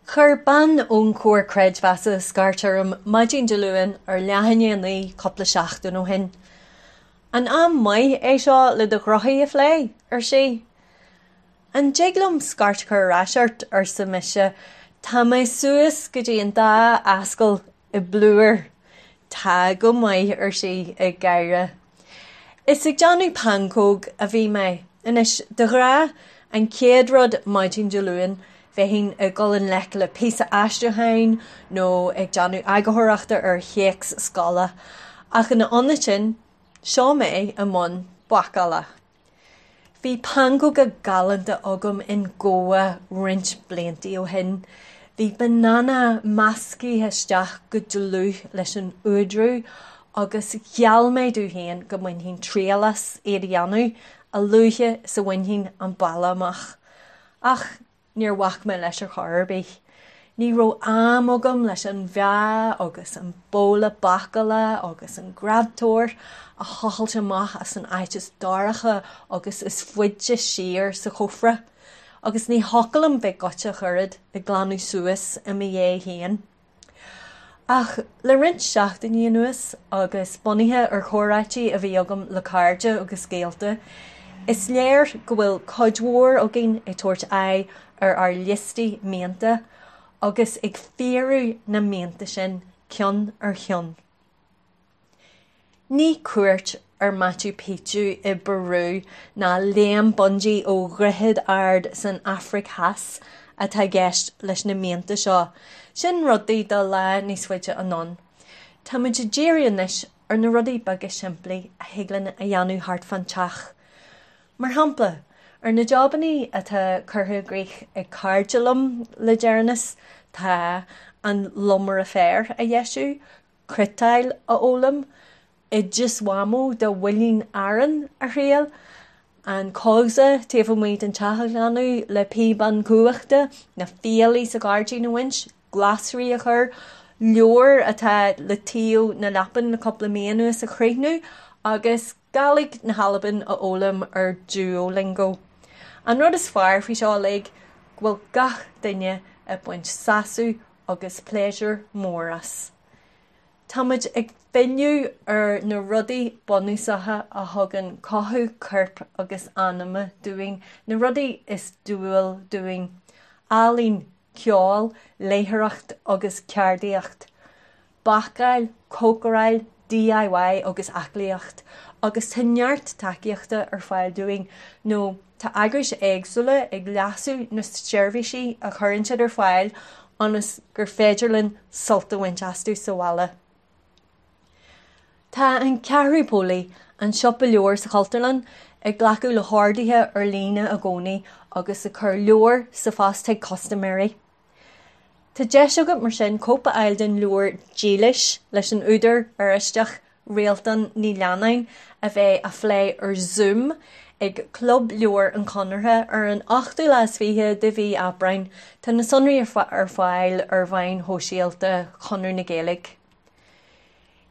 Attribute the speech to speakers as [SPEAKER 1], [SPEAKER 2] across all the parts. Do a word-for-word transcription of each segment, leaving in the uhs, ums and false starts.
[SPEAKER 1] Chuir bean ón Chomhar Creidmheasa scairt orm maidin Dé Luain ar leath i ndiaidh a naoi cúpla seachtain ó shin. An am maith é seo le do ghnóthaí a phlé, ar sí. An dtig liom scairt a chur ar ais ort, arsa mise, Tá mé suas go dtí an dá ascaill i bplúr. Tá go maith, ar sí ag gáire. Is ag déanamh pancóg a bhí mé. Anois, de ghnáth, an chéad rud maidin Dé Luain, bheinn ag dul i ngleic le píosa aistriúcháin nó ag déanamh eagarthóireachta ar théacs scoile, ach ina ionad sin, seo mé i mbun bácála. Bhí pancóga galánta agam in Goa roinnt blianta ó shin. Bhí banana measctha isteach go dlúth leis an uaidriú agus gheall mé domh féin go mbainfinn triail as iad a dhéanamh a luaithe is a bhainfinn an baile amach. Ach níor bhac mé leis ar chor ar bith. Ní raibh am agam leis an mheá agus an babhla bácála agus an greadtóir a thochailt amach as an áit is dorcha agus is faide siar sa chófra, agus ní thiocfadh liom bheith goite ach oiread ag glanadh suas i mo dhiaidh féin. Ach le roinnt seachtainí anuas agus bunaithe ar chomhráití a bhí agam le cairde agus gaolta, is léir go bhfuil cuid mhór againn ag tabhairt aghaidh ar ár liostaí mianta agus ag fíorú na mianta sin ceann ar cheann. Ní cuairt ar Machu Picchu i bPeru ná léim bungee ó dhroichead ard san Afraic Theas atá i gceist leis na mianta seo, sin rudaí do lá níos faide anonn. Táimid ag díriú anois ar na rudaí beaga simplí a thig linn a dhéanamh thart fán teach. Mar shampla, ar na jabannaí atá curtha i gcrích ag cairde liom le deireanas tá an lomaire féir a dheisiú, cniotáil a fhoghlaim, oideas Mhamó do mhuileann aráin a thriail, an cósa taobh amuigh den teach a ghlanadh le píobán cumhachta, na fiailí sa ghairdín a bhaint, glasraí a chur, leabhar atá le taobh na leapan le cúpla mí anuas a chríochnú agus Gàidhlig na hAlban a fhoghlaim ar Duolingo. An rud is fearr faoi seo uilig go bhfuil gach duine ag baint sásamh agus pléisiúr mór as. Táimid ag filleadh ar na rudaí bunúsacha a thugann cothú coirp agus anama dúinn, na rudaí is dual dúinn, ealaín, ceol, léitheoireacht agus ceardaíocht. Bácáil, cócaráil, DIY agus aclaíocht, agus tá neart tacaíochta ar fáil dúinn nó tá eagrais éagsúla ag leasú na seirbhísí a chuireann siad ar fáil ionas gur féidir linn sult a bhaint astu sa bhaile. Tá an Ceathrú Póilí, an siopa leabhar sa Chultúrlann, ag glacadh le horduithe ar líne i gcónaí agus ag cur leabhar sa phost chuig custaiméirí. Tá deis agat mar sin cóip a fháil den leabhar Dílis leis an údar Oráisteach Réaltán Ní Leannáin a bheidh á phlé ar Zoom ag Club Leabhar an Chonartha ar an ochtú lá is fiche de mhí Aibreáin. Tá na sonraí ar fáil ar mheáin shóisialta Chonradh na Gaeilge.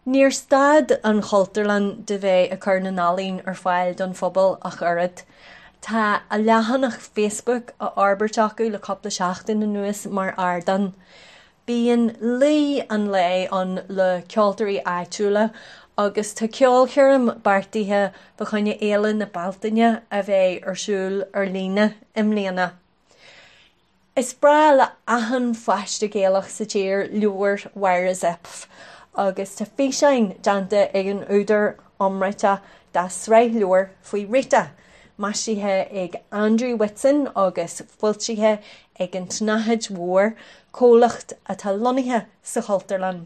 [SPEAKER 1] Níor stad an Chultúrlann de bheith ag cur na n-ealaíon ar fáil don phobal ach oiread. Tá a leathanach Facebook á fhorbairt acu le cúpla seachtain anuas mar ardán. Bíonn luí an lae ann le ceoltóirí áitiúla agus tá ceolchoirm beartaithe fá choinne Fhéile na Bealtaine a bheidh ar siúl ar líne i mbliana. Is breá le achan pháiste Gaelach sa tír leabhar Mháire Zepf, agus tá físeáin déanta ag an údar iomráiteach dá sraith leabhar faoi Rita, maisithe ag Andrew Whitson agus foilsithe ag an tSnáthaid Mhór, comhlacht atá lonnaithe sa Chultúrlann.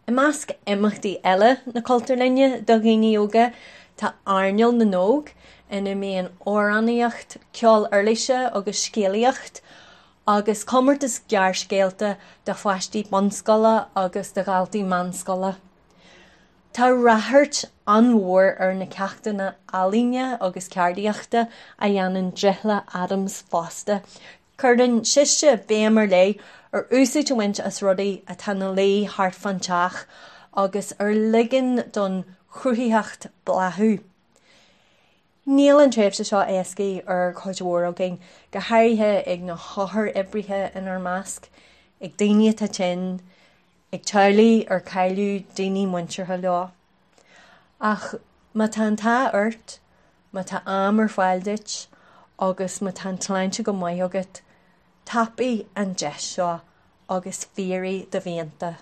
[SPEAKER 1] I measc imeachtaí eile na Cultúrlainne do dhaoine óga tá Airneál na nÓg, ina mbíonn amhránaíocht, ceol uirlise agus scéalaíocht, agus comórtas gearrscéalta do pháistí bunscoile agus do dhaltaí meánscoile. Tá ráchairt an-mhór ar na ceachtanna ealaíne agus ceardaíochta a dhéanann Drithla Adams fosta. Cuireann sise béim ar leith ar úsáid a bhaint as rudaí atá ina luí thart fán teach agus ar ligean don chruthaitheacht bláthú. Níl an tréimhse seo éasca ar chuid mhór againn, go háirithe ag na hothair-oibrithe inár measc, ag daoine atá tinn, ag teaghlaigh ar cailleadh daoine muinteartha leo. Ach má tá an t-ádh ort, má tá am ar fáil duit agus má tá an tsláinte go maith agat, tapaigh an deis seo agus fíoraigh do mhianta.